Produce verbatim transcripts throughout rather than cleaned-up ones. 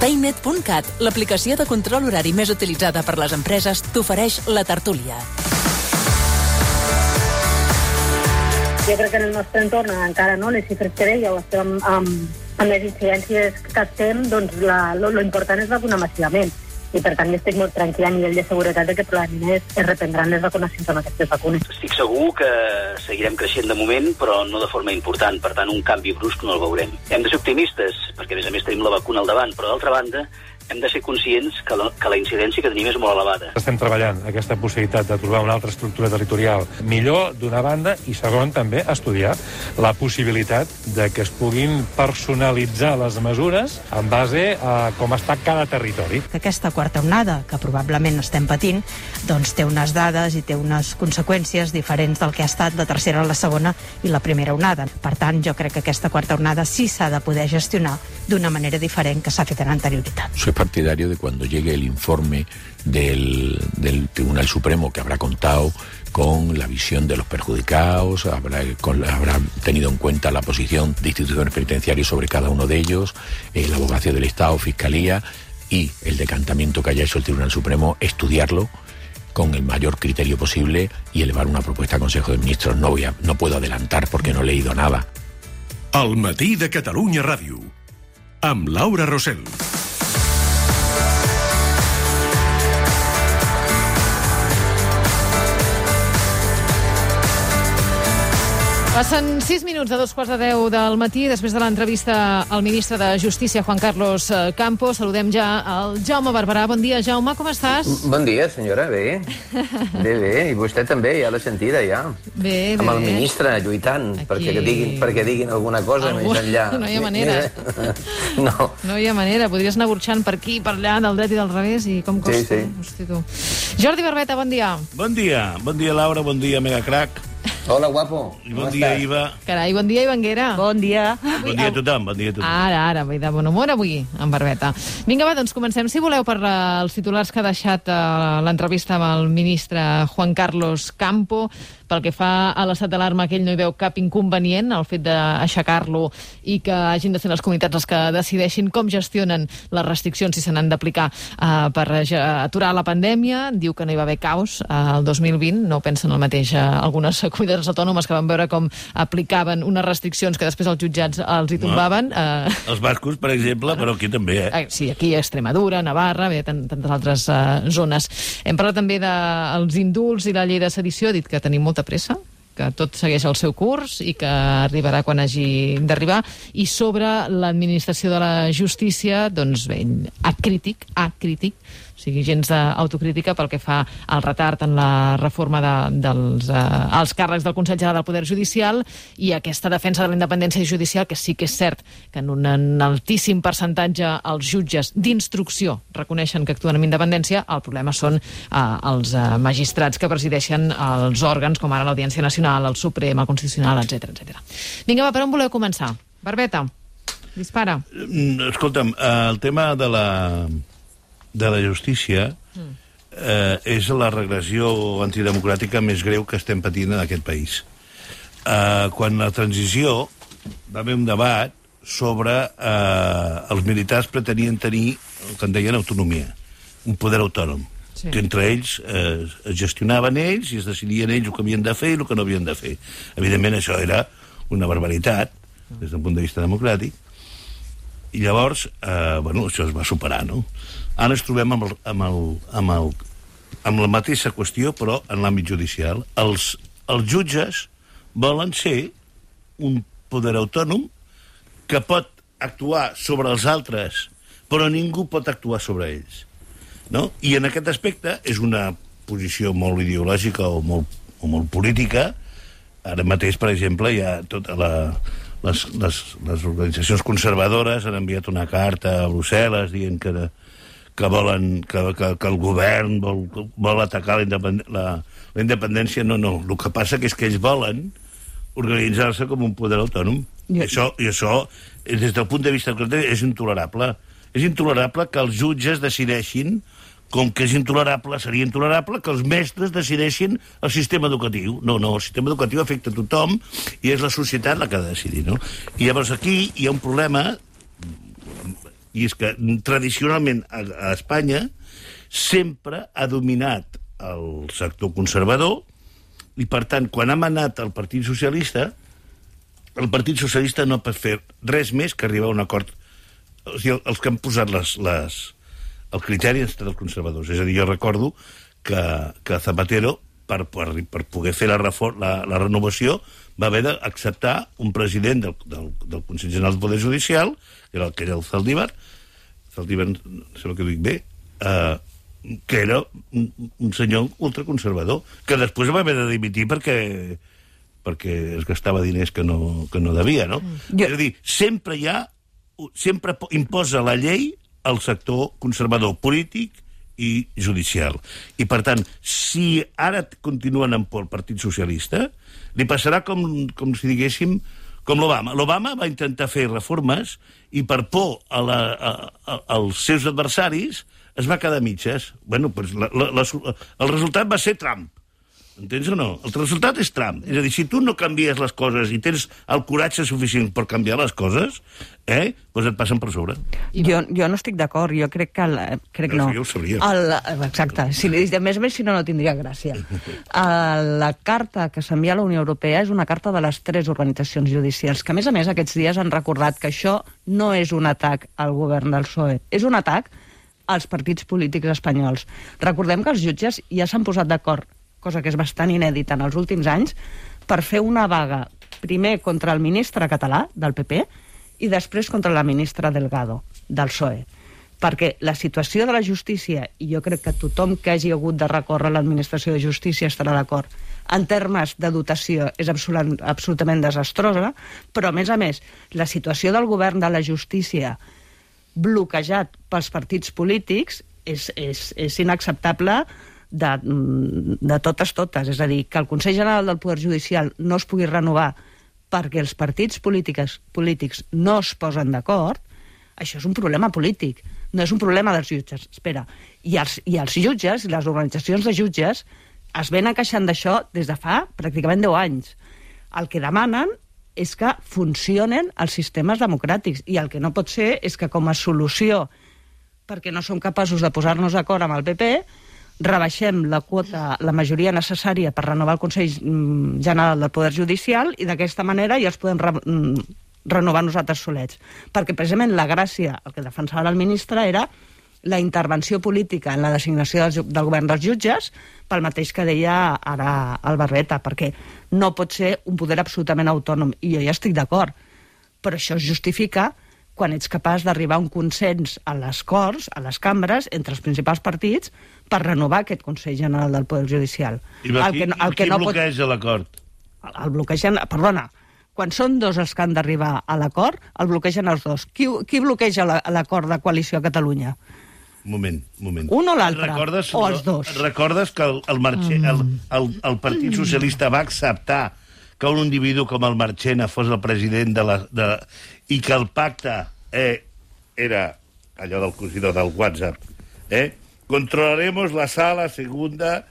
Paynet punt cat, l'aplicació de control horari més utilitzada per les empreses, t'ofereix la tertúlia. Jo crec que en el nostre entorn encara no, les xifres que deia, estem amb, amb les incidències que estem, doncs la, lo, lo important és vacunar massivament. I per tant jo estic molt tranquil·la a nivell de seguretat de que probablement es, es reprendran les vacunacions amb aquestes vacunes. Estic segur que seguirem creixent de moment, però no de forma important. Per tant, un canvi brusc no el veurem. Hem de ser optimistes, perquè a més a més tenim la vacuna al davant, però d'altra banda hem de ser conscients que la, que la incidència que tenim és molt elevada. Estem treballant aquesta possibilitat de trobar una altra estructura territorial millor, d'una banda, i segon, també, estudiar la possibilitat de que es puguin personalitzar les mesures en base a com està cada territori. Aquesta quarta onada, que probablement estem patint, doncs té unes dades i té unes conseqüències diferents del que ha estat la tercera, la segona i la primera onada. Per tant, jo crec que aquesta quarta onada sí s'ha de poder gestionar d'una manera diferent que s'ha fet en anterioritat. Soy partidario de cuando llegue el informe del, del Tribunal Supremo, que habrá contado con la visión de los perjudicados, habrá, con, habrá tenido en cuenta la posición de instituciones penitenciarias sobre cada uno de ellos, eh, la abogacía del Estado, Fiscalía y el decantamiento que haya hecho el Tribunal Supremo, estudiarlo con el mayor criterio posible y elevar una propuesta al Consejo de Ministros. No, voy a, no puedo adelantar porque no he leído nada. El matí de Catalunya Ràdio, amb Laura Rosell. Passen sis minuts de dos quarts de deu del matí, després de l'entrevista al ministre de Justícia, Juan Carlos Campo. Saludem ja el Jaume Barberà. Bon dia, Jaume, com estàs? Bon dia, senyora, bé. Bé, bé, i vostè també, ja l'ha sentida, ja. Bé, bé. Amb el ministre, lluitant, Aquí... perquè, diguin, perquè diguin alguna cosa Algú... més enllà. No hi ha manera. No. No hi ha manera. Podries anar burxant per aquí, per allà, del dret i del revés, i com costa. Sí, sí. Hosti, tu. Jordi Barbeta, bon dia. Bon dia. Bon dia, Laura. Bon dia, Megacrac. Hola, guapo. I bon dia, estàs? Iva. Carai, bon dia, Ivanguera. Bon dia. Bon dia a tothom, bon dia a tothom. Ara, ara, vull de bon humor avui, en Barbeta. Vinga, va, doncs comencem, si voleu, per uh, els titulars que ha deixat uh, l'entrevista amb el ministre Juan Carlos Campo. Pel que fa a l'estat d'alarma, que ell no hi veu cap inconvenient, el fet d'aixecar-lo i que hagin de ser les comunitats les que decideixin com gestionen les restriccions, si se n'han d'aplicar uh, per aturar la pandèmia. Diu que no hi va haver caos uh, el dos mil vint, no pensen el mateix uh, algunes comunitats autònomes que van veure com aplicaven unes restriccions que després els jutjats els hi tombaven. No. Uh... Els bascos, per exemple, però aquí també, eh? Uh, sí, aquí a Extremadura, Navarra, bé, tantes altres uh, zones. Hem parlat també dels indults i la llei de sedició, ha dit que tenim molta pressa, que tot segueix el seu curs i que arribarà quan hagi d'arribar. I sobre l'administració de la justícia, doncs bé, acrític, acrític, o sigui, gens d'autocrítica pel que fa al retard en la reforma de, dels eh, als càrrecs del Consell General del Poder Judicial i aquesta defensa de la independència judicial, que sí que és cert que en un en altíssim percentatge els jutges d'instrucció reconeixen que actuen amb independència. El problema són eh, els eh, magistrats que presideixen els òrgans, com ara l'Audiència Nacional, el Suprem, el Constitucional, etcètera, etcètera. Vinga, va, per on voleu començar? Barbeta, dispara. Escolta'm, el tema de la... de la justícia eh, és la regressió antidemocràtica més greu que estem patint en aquest país. Eh, quan la transició va haver un debat sobre eh, els militars pretenien tenir el que en deien autonomia, un poder autònom, sí, que entre ells eh, es gestionaven ells i es decidien ells el que havien de fer i el que no havien de fer. Evidentment això era una barbaritat des del punt de vista democràtic, i llavors eh, bueno, això es va superar, no? Ara ens trobem amb, el, amb, el, amb, el, amb la mateixa qüestió, però en l'àmbit judicial. Els, els jutges volen ser un poder autònom que pot actuar sobre els altres, però ningú pot actuar sobre ells, no? I en aquest aspecte és una posició molt ideològica o molt, o molt política. Ara mateix, per exemple, hi ha tota la... Les, les, les organitzacions conservadores han enviat una carta a Brussel·les dient que, que, volen, que, que, que el govern vol, vol atacar la, independ, la, la independència. No, no. El que passa que és que ells volen organitzar-se com un poder autònom. I això, i això, des del punt de vista és intolerable. És intolerable que els jutges decideixin, com que és intolerable, seria intolerable que els mestres decideixin el sistema educatiu. No, no, el sistema educatiu afecta a tothom i és la societat la que ha de decidir, no? I llavors aquí hi ha un problema i és que tradicionalment a, a Espanya sempre ha dominat el sector conservador i, per tant, quan hem anat al Partit Socialista, el Partit Socialista no pot fer res més que arribar a un acord. O sigui, els que han posat les, les, el criteri han estat els conservadors. És a dir, jo recordo que, que Zapatero, per, per, per poder fer la, reform, la, la renovació, va haver d'acceptar un president del, del, del Consell General del Poder Judicial, que era el que era el Zaldívar, Zaldívar, no sé el que dic bé, eh, que era un, un senyor ultraconservador, que després va haver de dimitir perquè, perquè es gastava diners que no, que no devia, no? Jo... És a dir, sempre hi ha, sempre imposa la llei al sector conservador polític i judicial. I, per tant, si ara continuen en por el Partit Socialista, li passarà com, com si diguéssim, com l'Obama. L'Obama va intentar fer reformes i per por a la, a, a, als seus adversaris es va quedar a mitges. Bueno, pues la, la, la, el resultat va ser Trump. Entens o no? El resultat és Trump. És a dir, si tu no canvies les coses i tens el coratge suficient per canviar les coses, eh, doncs et passen per sobre. Jo, jo no estic d'acord. Jo crec que... El, crec no, no. Jo ho sabria. El, exacte. Si, a més a més, si no, no tindria gràcia. El, la carta que s'envia a la Unió Europea és una carta de les tres organitzacions judicials, que a més a més aquests dies han recordat que això no és un atac al govern del P S O E, és un atac als partits polítics espanyols. Recordem que els jutges ja s'han posat d'acord, cosa que és bastant inèdita en els últims anys, per fer una vaga, primer contra el ministre català, del P P, i després contra la ministra Delgado, del P S O E. Perquè la situació de la justícia, i jo crec que tothom que hagi hagut de recórrer a l'administració de justícia estarà d'acord, en termes de dotació és absolut, absolutament desastrosa, però, a més a més, la situació del govern de la justícia bloquejat pels partits polítics és, és, és inacceptable de, de totes totes. És a dir, que el Consell General del Poder Judicial no es pugui renovar perquè els partits polítics, polítics no es posen d'acord, això és un problema polític, no és un problema dels jutges. Espera, i els, i els jutges, i les organitzacions de jutges, es venen queixant d'això des de fa pràcticament deu anys. El que demanen és que funcionen els sistemes democràtics, i el que no pot ser és que com a solució, perquè no som capaços de posar-nos d'acord amb el P P, rebaixem la quota, la majoria necessària per renovar el Consell General del Poder Judicial, i d'aquesta manera ja els podem re renovar nosaltres solets. Perquè precisament la gràcia, el que defensava el ministre, era la intervenció política en la designació del, del govern dels jutges, pel mateix que deia ara el Barreta, perquè no pot ser un poder absolutament autònom, i jo ja estic d'acord, però això es justifica quan ets capaç d'arribar a un consens a les Corts, a les cambres, entre els principals partits, per renovar aquest Consell General del Poder Judicial. I el que, el el que qui no bloqueja pot... l'acord? El, el bloquegen... Perdona, quan són dos els que han d'arribar a l'acord, el bloquegen els dos. Qui, qui bloqueja l'acord de coalició a Catalunya? Un moment, un moment. Un o l'altre, o els dos? Recordes que el, el, Marche, mm. el, el, el Partit Socialista va acceptar que un individu com el Marchena fos el president de la... De, i que el pacte eh, era allò del cosidor del WhatsApp, eh? Controlaremos la sala segunda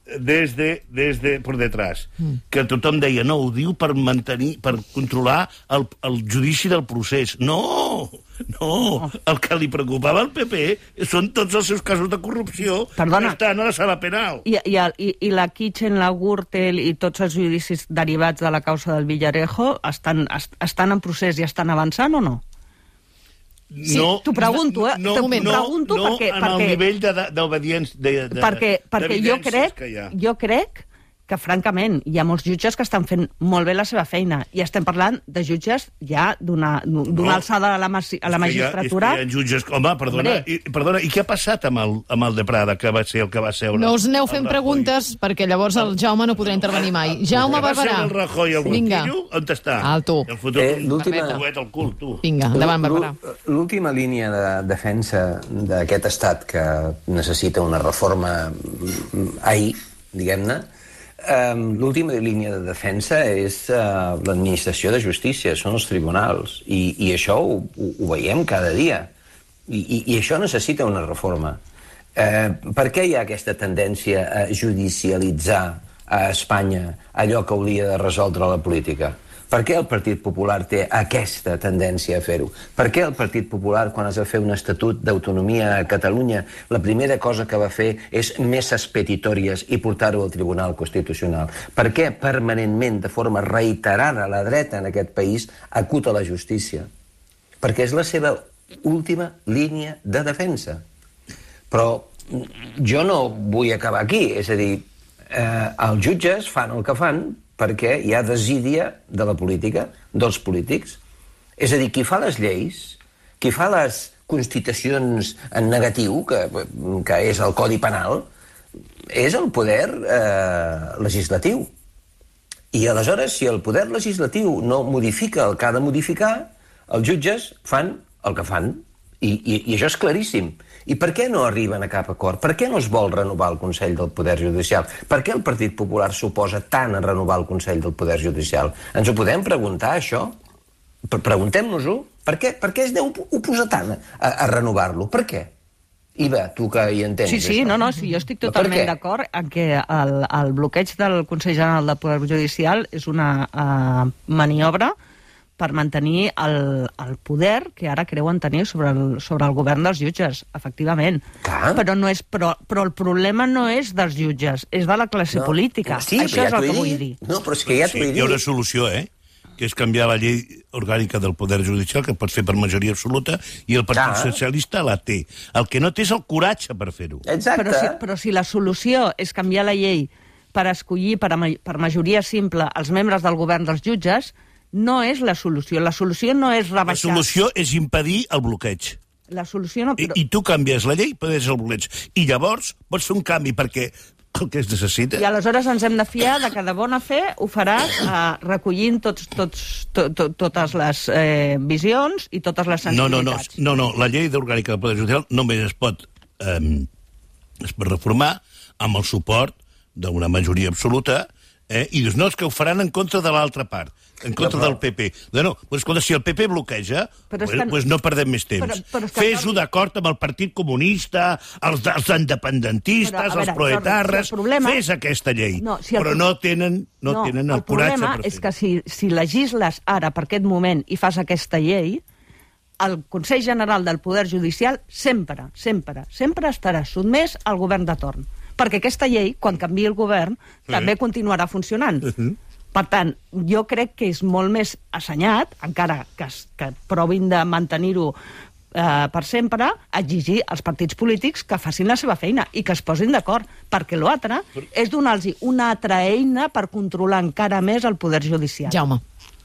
desde, desde por detrás. Mm. Que tothom deia, no, ho diu per mantenir, per controlar el, el judici del procés. No, no, el que li preocupava al P P són tots els seus casos de corrupció. Perdona. Que estan a la sala penal. I, i, i, i la Kitchen, la Gürtel i tots els judicis derivats de la causa del Villarejo estan, est, estan en procés i estan avançant o no? Sí, no, t'ho pregunto, eh? No, T'ho no, pregunto no perquè, en perquè, el nivell d'obediència. De, de, perquè perquè jo crec, que jo crec que, francament, hi ha molts jutges que estan fent molt bé la seva feina, i estem parlant de jutges ja d'una no, alçada a la, a la magistratura. Hi ha, hi ha jutges... Home, perdona i, perdona, i què ha passat amb el, amb el de Prada, que va ser el que va seure? No us aneu fent preguntes, perquè llavors el Jaume no podrà intervenir mai. Jaume Barberà. El Rajoy, el Guanquillo, on està? Alto. El futur eh, coet al cul, tu. Vinga, endavant, Barberà. L'última línia de defensa d'aquest estat que necessita una reforma ahir, diguem-ne, Um, l'última línia de defensa és uh, l'administració de justícia, són els tribunals, i, i això ho, ho veiem cada dia, i, i, i això necessita una reforma. Uh, per què hi ha aquesta tendència a judicialitzar a Espanya allò que hauria de resoldre la política? Per què el Partit Popular té aquesta tendència a fer-ho? Per què el Partit Popular, quan es va fer un estatut d'autonomia a Catalunya, la primera cosa que va fer és messes petitòries i portar-ho al Tribunal Constitucional? Per què permanentment, de forma reiterada, la dreta en aquest país acuta la justícia? Perquè és la seva última línia de defensa. Però jo no vull acabar aquí, és a dir, eh, els jutges fan el que fan perquè hi ha desídia de la política, dels polítics. És a dir, qui fa les lleis, qui fa les constitucions en negatiu, que, que és el Codi Penal, és el poder eh, legislatiu. I aleshores, si el poder legislatiu no modifica el que ha de modificar, els jutges fan el que fan. I, i, i això és claríssim. I per què no arriben a cap acord? Per què no es vol renovar el Consell del Poder Judicial? Per què el Partit Popular s'oposa tant a renovar el Consell del Poder Judicial? Ens ho podem preguntar, això? Preguntem-nos-ho. Per què, per què es deu oposar tant a, a renovar-lo? Per què? Iva, tu que hi entens. Sí, sí, això. no, no, sí, jo estic totalment d'acord en que el, el bloqueig del Consell General del Poder Judicial és una uh, maniobra per mantenir el, el poder que ara creuen tenir sobre el, sobre el govern dels jutges, efectivament. Clar. Però, no és, però, però el problema no és dels jutges, és de la classe no. política. Sí, això ja és el que dit. vull dir. No, però és que ja t'ho he dit. Hi ha una solució, eh? Que és canviar la llei orgànica del Poder Judicial, que pot fer per majoria absoluta, i el Partit Clar. Socialista la té. El que no té és el coratge per fer-ho. Exacte. Però si, però si la solució és canviar la llei per escollir per, a, per majoria simple els membres del govern dels jutges, no és la solució. La solució no és rebaixar... La solució és impedir el bloqueig. La solució no... Però... I, I tu canvies la llei, impedeixes el bloqueig. I llavors pots fer un canvi, perquè el que es necessita... I aleshores ens hem de fiar de que de bona fe ho faràs eh, recollint tots, tots, to, to, totes les eh, visions i totes les sensibilitats. No, no, no, no, la llei orgànica del Poder Judicial només es pot, eh, es pot reformar amb el suport d'una majoria absoluta, eh, i dius, no, és que ho faran en contra de l'altra part, en contra no, del P P. No, no, pues, escolta, si el P P bloqueja, pues, que... pues no perdem més temps. Però, però Fes-ho no... d'acord amb el Partit Comunista, els, els independentistes, però, veure, els proetarres, si problema... fes aquesta llei. No, si el... Però no tenen, no no, tenen el, el coratge per fer-ho. El problema és que si, si legisles ara per aquest moment i fas aquesta llei, el Consell General del Poder Judicial sempre, sempre, sempre estarà sotmès al govern de torn. Perquè aquesta llei, quan canviï el govern, sí. també continuarà funcionant. Uh-huh. Per tant, jo crec que és molt més assenyat, encara que, que provin de mantenir-ho eh, per sempre, exigir als partits polítics que facin la seva feina i que es posin d'acord, perquè l'altre és donar-los una altra eina per controlar encara més el poder judicial. Jaume.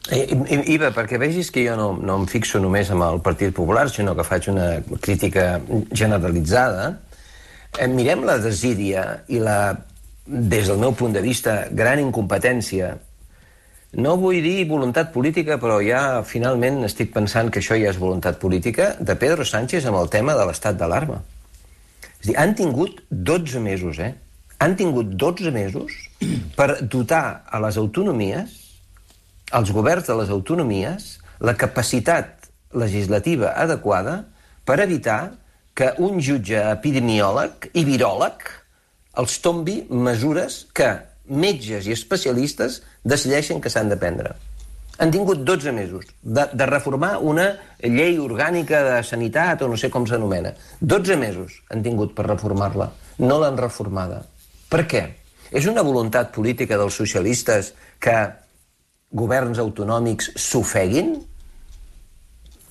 Iva, perquè vegis que jo no, no em fixo només amb el Partit Popular, sinó que faig una crítica generalitzada, eh, mirem la desídia i la, des del meu punt de vista, gran incompetència. No vull dir voluntat política, però ja finalment estic pensant que això ja és voluntat política, de Pedro Sánchez amb el tema de l'estat d'alarma. És a dir, han tingut dotze mesos, eh? Han tingut dotze mesos per dotar a les autonomies, als governs de les autonomies, la capacitat legislativa adequada per evitar que un jutge epidemiòleg i viròleg els tombi mesures que metges i especialistes decideixen que s'han de prendre. Han tingut dotze mesos de, de reformar una llei orgànica de sanitat o no sé com s'anomena. dotze mesos han tingut per reformar-la. No l'han reformada. Per què? És una voluntat política dels socialistes que governs autonòmics s'ofeguin?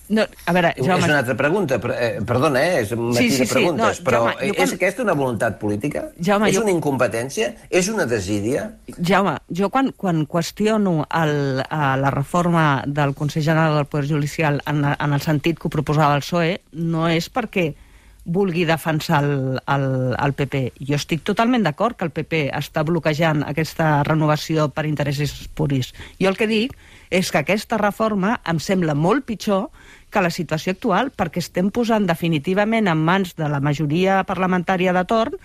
No, a veure, Jaume... És una altra pregunta, eh, perdona, eh, és un matí sí, sí, de preguntes, sí, no, però Jaume, és quan... aquesta una voluntat política? Jaume, és jo... una incompetència? És una desídia? Jaume, jo quan, quan qüestiono el, la reforma del Consell General del Poder Judicial en, en el sentit que ho proposava el P S O E, no és perquè vulgui defensar el, el, el P P. Jo estic totalment d'acord que el P P està bloquejant aquesta renovació per interessos puris. Jo el que dic és que aquesta reforma em sembla molt pitjor que la situació actual, perquè estem posant definitivament en mans de la majoria parlamentària de torn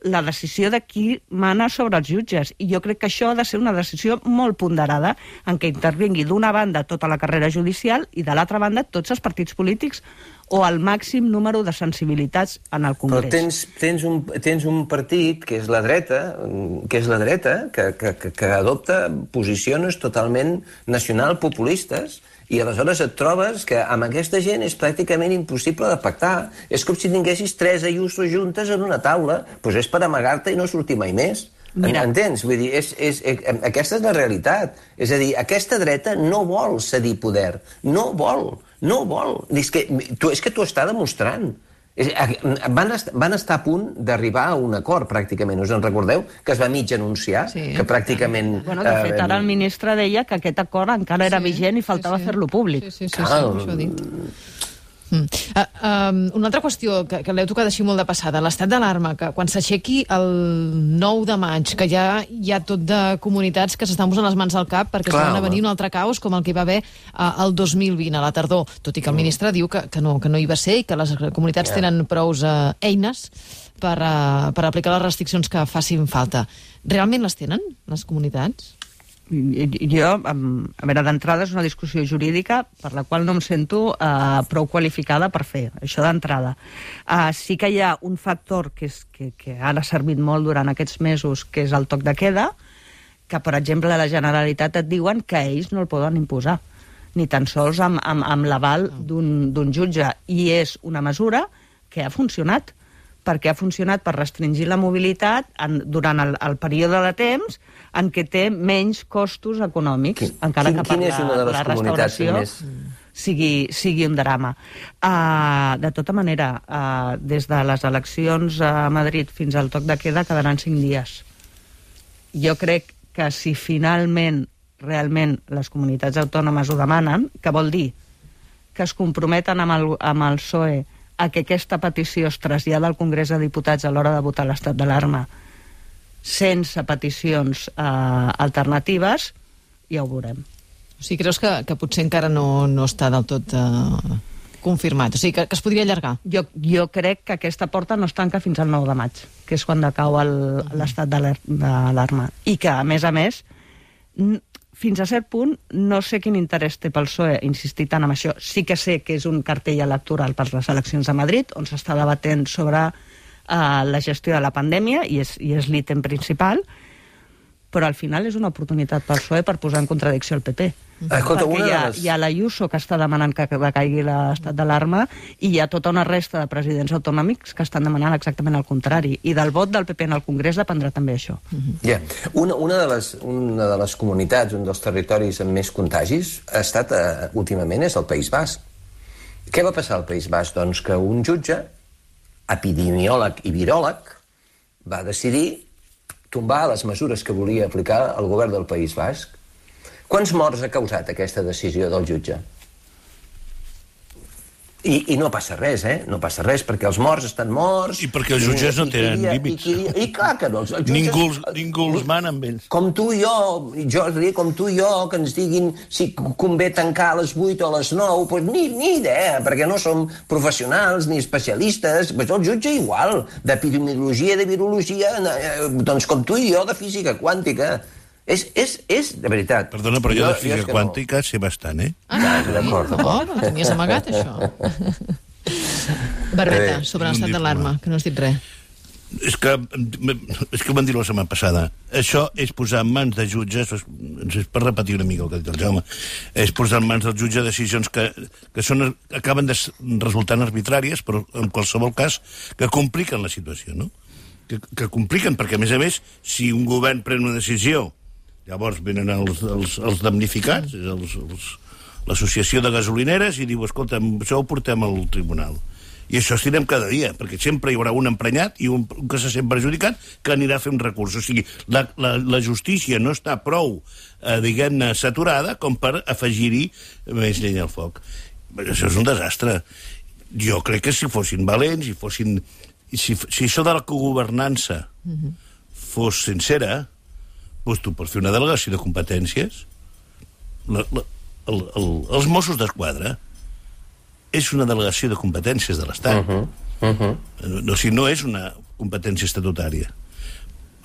la decisió de qui mana sobre els jutges. I jo crec que això ha de ser una decisió molt ponderada en què intervingui d'una banda tota la carrera judicial i de l'altra banda tots els partits polítics o el màxim número de sensibilitats en el Congrés. Però tens, tens, un, tens un partit, que és la dreta, que és la dreta, que, que, que adopta posicions totalment nacional populistes, i aleshores et trobes que amb aquesta gent és pràcticament impossible de pactar. És com si tinguessis tres Ayuso juntes en una taula. Doncs és per amagar-te i no sortir mai més. Mira. Entens? Vull dir, és, és, és, aquesta és la realitat. És a dir, aquesta dreta no vol cedir poder. No vol, no vol. És que tu, és que t'ho està demostrant. Van estar, van estar a punt d'arribar a un acord, pràcticament. Us en recordeu? Que es va mig anunciar, sí, que pràcticament... Bueno, de fet, ara el ministre deia que aquest acord encara era sí, vigent i faltava sí, sí. fer-lo públic. Sí, sí, sí, sí, sí, això dic. Mm. Uh, um, una altra qüestió que, que l'heu tocat així molt de passada, l'estat d'alarma, que quan s'aixequi el nou de maig, que ja hi ha tot de comunitats que s'estan posant les mans al cap perquè Clar, es van a venir un altre caos com el que hi va haver uh, el dos mil vint, a la tardor, tot i que el ministre diu que, que, no, que no hi va ser i que les comunitats yeah. tenen prous uh, eines per, uh, per aplicar les restriccions que facin falta. Realment les tenen, les comunitats? Jo, a veure, d'entrada és una discussió jurídica per la qual no em sento uh, prou qualificada per fer, això d'entrada. Uh, sí que hi ha un factor que, és, que, que ara ha servit molt durant aquests mesos, que és el toc de queda, que, per exemple, a la Generalitat et diuen que ells no el poden imposar, ni tan sols amb, amb, amb l'aval d'un jutge. I és una mesura que ha funcionat, perquè ha funcionat per restringir la mobilitat en, durant el, el període de temps en què té menys costos econòmics, Quin, encara quin, que per la, la restauració més... sigui, sigui un drama. Uh, de tota manera, uh, des de les eleccions a Madrid fins al toc de queda quedaran cinc dies. Jo crec que si finalment, realment, les comunitats autònomes ho demanen, que vol dir que es comprometen amb el, amb el P S O E a que aquesta petició es trasllada al Congrés de Diputats a l'hora de votar l'estat d'alarma sense peticions eh, alternatives, ja ho veurem. O sigui, creus que, que potser encara no, no està del tot eh, confirmat? O sigui, que, que es podria allargar? Jo, jo crec que aquesta porta no es tanca fins al nou de maig, que és quan decau l'estat d'alarma. I que, a més a més, fins a cert punt, no sé quin interès té pel P S O E insistir tant en això. Sí que sé que és un cartell electoral per les eleccions de Madrid, on s'està debatent sobre uh, la gestió de la pandèmia, i és, i és l'ítem principal, però al final és una oportunitat pel P S O E per posar en contradicció el P P. Escolta, perquè hi ha, les... hi ha l'Ayuso que està demanant que decaigui l'estat d'alarma i hi ha tota una resta de presidents autonòmics que estan demanant exactament el contrari. I del vot del P P en el Congrés dependrà també això. Yeah. Una, una, de les, una de les comunitats, un dels territoris amb més contagis, ha estat, uh, últimament, és el País Basc. Què va passar al País Basc? Doncs que un jutge, epidemiòleg i viròleg, va decidir tombar les mesures que volia aplicar el govern del País Basc. Quants morts ha causat aquesta decisió del jutge? I, I no passa res, eh? No passa res, perquè els morts estan morts... I perquè els jutges no tenen límits. I, i, I clar que no. Els jutges, ningú, ningú els mana amb ells. Com tu i jo, jo diria com tu i jo, que ens diguin si convé tancar a les vuit o a les nou, doncs ni, ni idea, perquè no som professionals ni especialistes. Pues el jutge igual, d'epidemiologia, de virologia, doncs com tu i jo, de física quàntica. És, és, és, de veritat... Perdona, però jo, jo de física quàntica no. sé bastant, eh? Ah, d'acord, d'acord. No tenies amagat, això. Barbeta, sobre l'estat d'alarma, que no has dit res. És que, és que ho van dir la setmana passada. Això és posar en mans de jutges, és per repetir una mica el que ha dit el Jaume, és posar en mans del jutge decisions que, que són, acaben de resultant arbitràries, però en qualsevol cas que compliquen la situació, no? Que, que compliquen, perquè a més a més, si un govern pren una decisió, llavors venen els, els, els damnificats, els, els, l'associació de gasolineres, i diu, escolta, això ho portem al tribunal. I això estirem cada dia, perquè sempre hi haurà un emprenyat i un, un que se sent perjudicat que anirà a fer un recurs. O sigui, la, la, la justícia no està prou, eh, diguem-ne, saturada com per afegir-hi més llenya al foc. Això és un desastre. Jo crec que si fossin valents, i fossin... Si, si això de la cogovernança uh-huh. fos sincera, doncs tu pots fer una delegació de competències. La, la, el, el, els Mossos d'Esquadra és una delegació de competències de l'Estat. Uh-huh. Uh-huh. No, no, si no és una competència estatutària.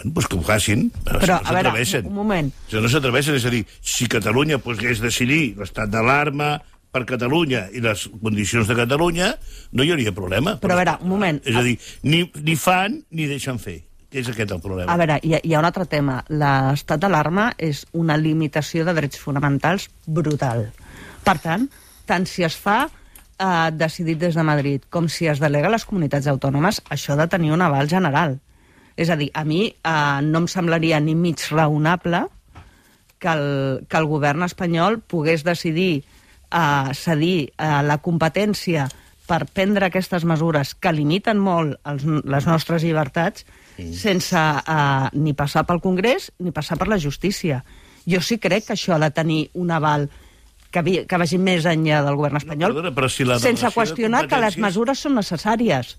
Bueno, doncs que ho facin, però, però no s'atreveixen. Un moment. Si no s'atreveixen, és a dir, si Catalunya pogués decidir l'estat d'alarma, per Catalunya i les condicions de Catalunya, no hi hauria problema. Però a veure, un moment. És a dir, ni, ni fan ni deixen fer. És aquest el problema. A veure, hi ha, hi ha un altre tema. L'estat d'alarma és una limitació de drets fonamentals brutal. Per tant, tant si es fa eh, decidit des de Madrid com si es delega a les comunitats autònomes, això ha de tenir un aval general. És a dir, a mi eh, no em semblaria ni mig raonable que el, que el govern espanyol pogués decidir eh, cedir eh, la competència per prendre aquestes mesures que limiten molt els, les nostres llibertats mm. sense eh, ni passar pel Congrés ni passar per la justícia. Jo sí crec que això ha de tenir un aval que, vi, que vagi més enllà del govern espanyol, no, perdona, però si la sense qüestionar que les mesures són necessàries.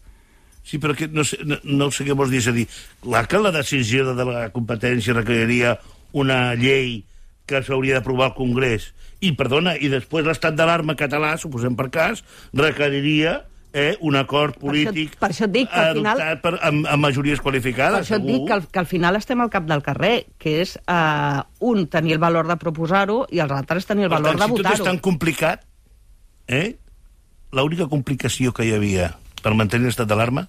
Sí, però que no sé, no, no sé què vols dir. És a dir, clar que la decisió de la competència requeriria una llei que s'hauria d'aprovar al Congrés. I, perdona, i després l'estat d'alarma català, suposem per cas, requeriria eh, un acord polític per això, per això dic que al final, adoptat per, amb, amb majories qualificades. Per això et segur. dic que al, que al final estem al cap del carrer, que és eh, un, tenir el valor de proposar-ho i els altres tenir el Per valor tant, de votar-ho. Si tot és tan complicat, eh, l'única complicació que hi havia per mantenir l'estat d'alarma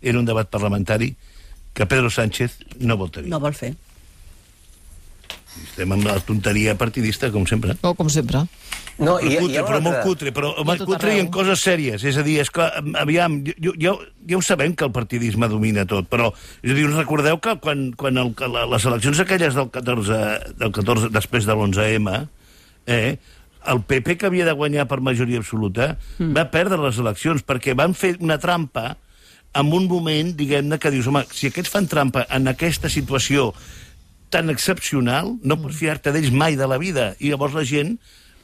era un debat parlamentari que Pedro Sánchez no vol tenir. No vol fer. Estem amb la tonteria partidista, com sempre. Oh, com sempre. No, però, i, cutre, i però molt cutre, però molt cutre i en coses sèries. És a dir, és que, aviam, jo, jo, ja ho sabem que el partidisme domina tot, però és a dir, us recordeu que quan, quan el, les eleccions aquelles del catorze, del catorze després de l'onze eme, eh, el P P, que havia de guanyar per majoria absoluta, mm. va perdre les eleccions perquè van fer una trampa en un moment, diguem-ne, que dius, home, si aquests fan trampa en aquesta situació tan excepcional, no pots fiar-te d'ells mai de la vida. I llavors la gent,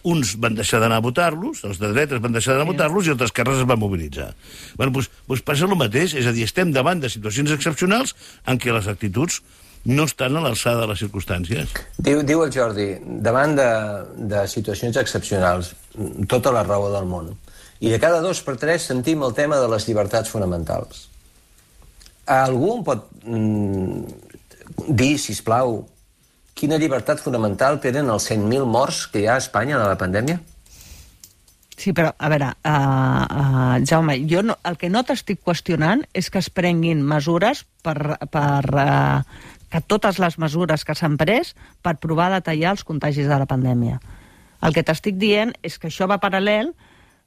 uns van deixar d'anar a votar-los, els de dretes van deixar d'anar a votar-los i els d'esquerres es van mobilitzar. Bueno, doncs, doncs passa el mateix, és a dir, estem davant de situacions excepcionals en què les actituds no estan a l'alçada de les circumstàncies. Diu, diu el Jordi, davant de, de situacions excepcionals, tota la raó del món. I de cada dos per tres sentim el tema de les llibertats fonamentals. Algú em pot mm, dir, sisplau, quina llibertat fonamental tenen els cent mil morts que hi ha a Espanya de la pandèmia? Sí, però, a veure, uh, uh, Jaume, jo no, el que no t'estic qüestionant és que es prenguin mesures per, per uh, que totes les mesures que s'han pres per provar de tallar els contagis de la pandèmia. El que t'estic dient és que això va paral·lel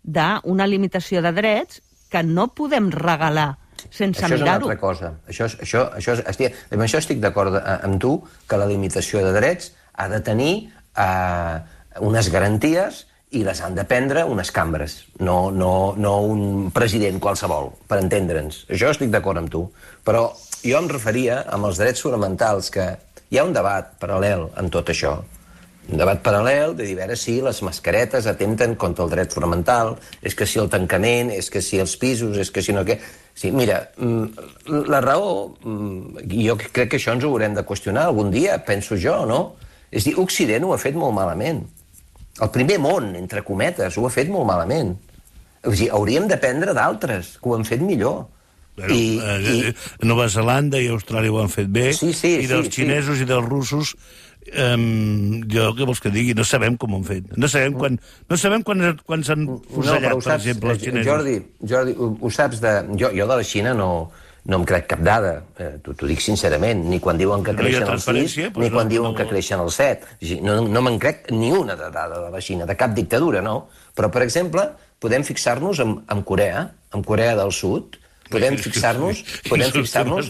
d'una limitació de drets que no podem regalar sense mirar-ho. Això és una mirar-ho. altra cosa. Això, això, això, estic, amb això estic d'acord amb tu, que la limitació de drets ha de tenir eh, unes garanties i les han de prendre unes cambres, no, no, no un president qualsevol, per entendre'ns. Això estic d'acord amb tu. Però jo em referia amb els drets fonamentals, que hi ha un debat paral·lel en tot això. Un debat paral·lel de dir, a veure si les mascaretes atempten contra el dret fonamental, és que si el tancament, és que si els pisos, és que si no què... Sí, mira, la raó, jo crec que això ens ho haurem de qüestionar algun dia, penso jo, no? És dir, Occident ho ha fet molt malament. El primer món, entre cometes, ho ha fet molt malament. O sigui, hauríem d'aprendre d'altres, que ho han fet millor. Bueno, I, eh, i... Nova Zelanda i Austràlia ho han fet bé, sí, sí, i dels sí, xinesos sí. i dels russos, um, jo què vols que digui? No sabem com ho han fet. No sabem quan, no sabem quan, quan s'han fusellat, no, per saps, exemple, els xinesos. Jordi, Jordi ho, ho saps de... Jo, jo de la Xina no... No em crec cap dada, eh, t'ho dic sincerament, ni quan diuen que creixen no el sis, pues ni quan no, diuen no, que creixen el set. No, no me'n crec ni una de dada de la Xina, de cap dictadura, no? Però, per exemple, podem fixar-nos en, en Corea, en Corea del Sud, podem fixar-nos... Podem fixar-nos...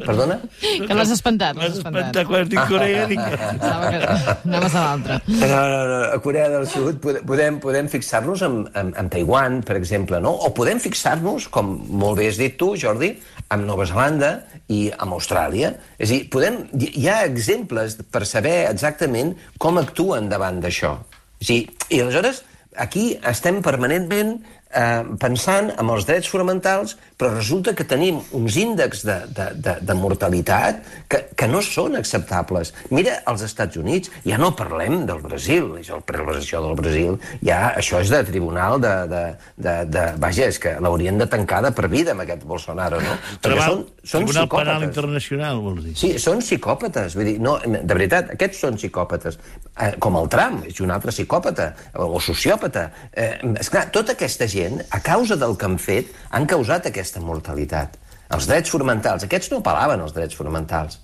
Perdona? Que l'has espantat, l'has espantat. Quan dic Corea, dic... Anaves a l'altre. No, no, no, a Corea del Sud podem, podem fixar-nos en, en, en Taiwan, per exemple, no? O podem fixar-nos, com molt bé has dit tu, Jordi, en Nova Zelanda i en Austràlia. És a dir, podem, hi ha exemples per saber exactament com actuen davant d'això. És a dir, i aleshores, aquí estem permanentment eh, pensant en els drets fonamentals, però resulta que tenim uns índexs de, de, de, de mortalitat que, que no són acceptables. Mira, als Estats Units, ja no parlem del Brasil, és el prevenció del Brasil, ja això és de tribunal de... de, de, de vaja, és que l'haurien de tancar de per vida amb aquest Bolsonaro, no? Perquè són, són Tribunal psicòpates. Penal Internacional, vols dir? Sí, són psicòpates. Vull dir, no, de veritat, aquests són psicòpates. Eh, com el Trump, és un altre psicòpata, o sociòpata. Eh, esclar, tota aquesta gent, a causa del que han fet, han causat aquesta mortalitat. Els drets fonamentals, aquests no apel·laven als drets fonamentals.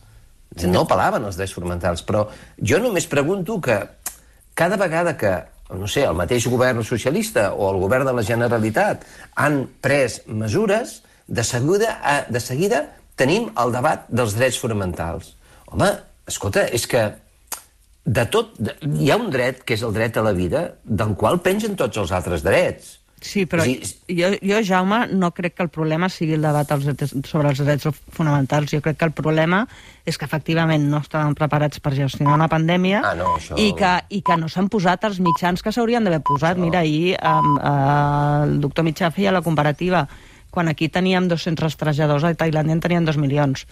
No apel·laven als drets fonamentals, però jo només pregunto que cada vegada que, no sé, el mateix govern socialista o el govern de la Generalitat han pres mesures, de seguida, de seguida tenim el debat dels drets fonamentals. Home, escolta, és que de tot, hi ha un dret, que és el dret a la vida, del qual pengen tots els altres drets. Sí, però sí, jo, jo, Jaume, no crec que el problema sigui el debat als drets, sobre els drets fonamentals. Jo crec que el problema és que efectivament no estaven preparats per gestionar una pandèmia ah, no, això... i, que, i que no s'han posat els mitjans que s'haurien d'haver posat. Això... Mira, ahir um, uh, el doctor Mitjà feia la comparativa. Quan aquí teníem dos-cents rastrejadors, a Tailàndia en tenien dos milions.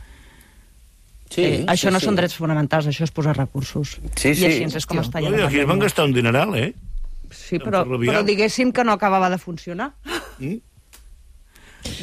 Sí, eh, això sí, no sí. són drets fonamentals, això és posar recursos. Sí, sí. I així és com està ja la Aquí es van gastar un dineral, eh? Sí, però, però diguéssim que no acabava de funcionar. Mm?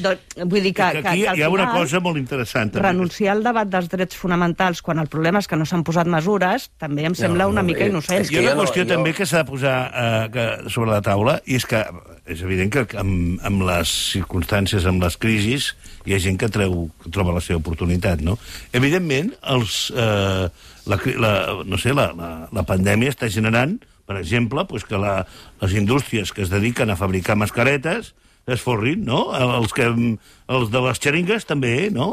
Doncs, vull dir que, que, que, aquí que al hi ha final, una cosa molt interessant. També. Renunciar al debat dels drets fonamentals quan el problema és que no s'han posat mesures també em sembla no, una no, mica eh, innocent. Hi ha una no, qüestió jo... també que s'ha de posar eh, que, sobre la taula, i és que és evident que amb, amb les circumstàncies, amb les crisis, hi ha gent que, treu, que troba la seva oportunitat, no? Evidentment, els, eh, la, la, no sé, la, la, la pandèmia està generant, per exemple, pues que la, les indústries que es dediquen a fabricar mascaretes es forrin, no? Els, que, els de les xeringues també, no?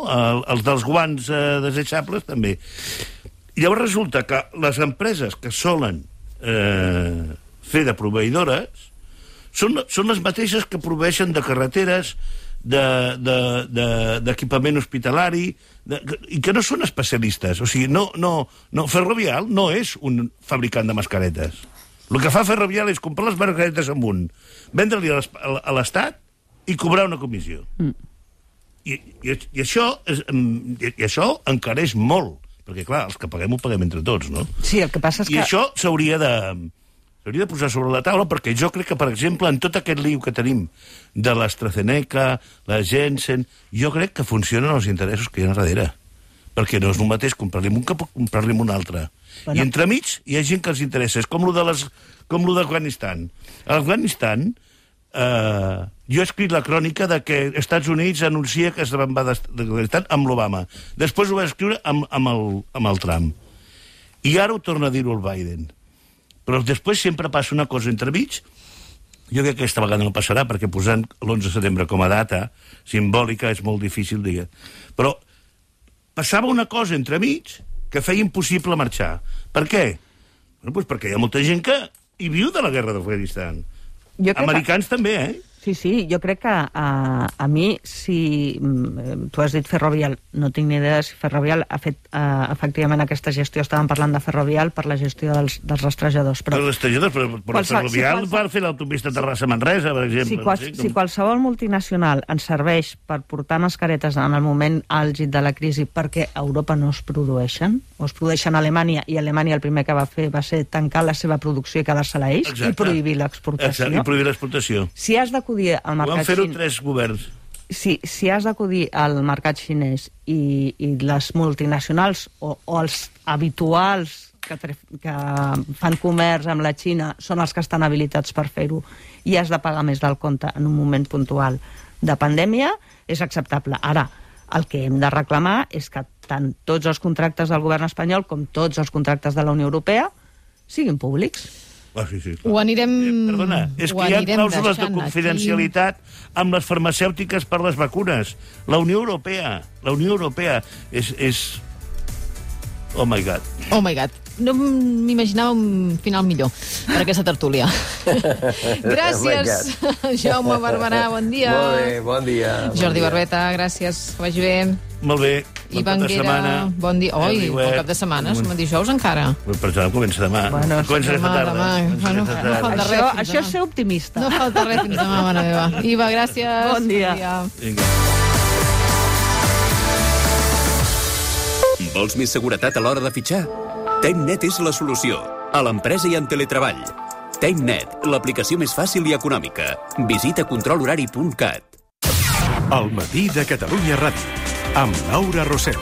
Els dels guants eh, desechables també. I llavors resulta que les empreses que solen eh, fer de proveïdores són, són les mateixes que proveeixen de carreteres, d'equipament de, de, de, hospitalari, de, i que no són especialistes. O sigui, no, no, no, Ferrovial no és un fabricant de mascaretes. El que fa Ferrovial és comprar les mascaretes amb un, vendre-li a l'Estat i cobrar una comissió. Mm. I, i, i, això és, i, i això encareix molt, perquè, clar, els que paguem ho paguem entre tots, no? Sí, el que passa és I que... I això s'hauria de... s'hauria de posar sobre la taula, perquè jo crec que, per exemple, en tot aquest lío que tenim de l'AstraZeneca, la Janssen, jo crec que funcionen els interessos que hi ha darrere. Perquè no és el mateix comprar-li un que comprar-li un altre. Bueno. I entremig hi ha gent que els interessa. És com lo de les, com lo d'Afganistan. A Afganistan, eh, jo he escrit la crònica de que els Estats Units anuncia que es va d'Afganistan amb l'Obama. Després ho va escriure amb, amb, el, amb el Trump. I ara ho torna a dir-ho el Biden. Però després sempre passa una cosa entremig. Jo crec que aquesta vegada no passarà, perquè posant l'onze de setembre com a data simbòlica és molt difícil, diguem. Però passava una cosa entremig que feia impossible marxar. Per què? Bueno, doncs perquè hi ha molta gent que hi viu de la guerra d'Afganistan. Americans que... també, eh? Sí, sí, jo crec que a, a mi, si tu has dit Ferrovial, no tinc ni idea si Ferrovial ha fet uh, efectivament aquesta gestió. Estàvem parlant de Ferrovial per la gestió dels, dels rastrejadors. Però, els rastrejadors, però, però qualsevol, Ferrovial si va fer l'autopista Terrassa-Manresa, per exemple. Si, qual, sí, com... si qualsevol multinacional ens serveix per portar mascaretes en el moment àlgid de la crisi perquè a Europa no es produeixen, o es produeixen a Alemanya, i Alemanya el primer que va fer va ser tancar la seva producció i quedar-se-la ells, i prohibir l'exportació. I prohibir l'exportació. Si has d'acudir al mercat xinès... Ho van fer-ho tres governs. Si, si has d'acudir al mercat xinès i, i les multinacionals o, o els habituals que, que fan comerç amb la Xina són els que estan habilitats per fer-ho i has de pagar més del compte en un moment puntual de pandèmia, és acceptable. Ara, el que hem de reclamar és que tant tots els contractes del govern espanyol com tots els contractes de la Unió Europea siguin públics. Ah, sí, sí, ho anirem... Eh, perdona, és que hi ha clàusules de confidencialitat aquí amb les farmacèutiques per les vacunes. La Unió Europea, la Unió Europea és... és... Oh my God. Oh my God. No m'imaginava un final millor per aquesta tertúlia. Gràcies, Jaume Barberà, bon dia. Molt bé, bon dia. Jordi Barbeta, gràcies, que vagi bé. Molt bé. Ivan Guera, bon dia. Oi, bon cap de setmana, som a dijous encara. Per això comença demà. Bueno, comença demà, aquesta tarda. demà. Bueno, no falta res. Això, això és ser optimista. No falta res fins demà, mare meva. Iva, gràcies. Bon dia. Bon dia. Vinga. Vols més seguretat a l'hora de fitxar? TimeNet és la solució. A l'empresa i en teletreball. TimeNet, l'aplicació més fàcil i econòmica. Visita control horari punt cat. El matí de Catalunya Ràdio, amb Laura Rosel.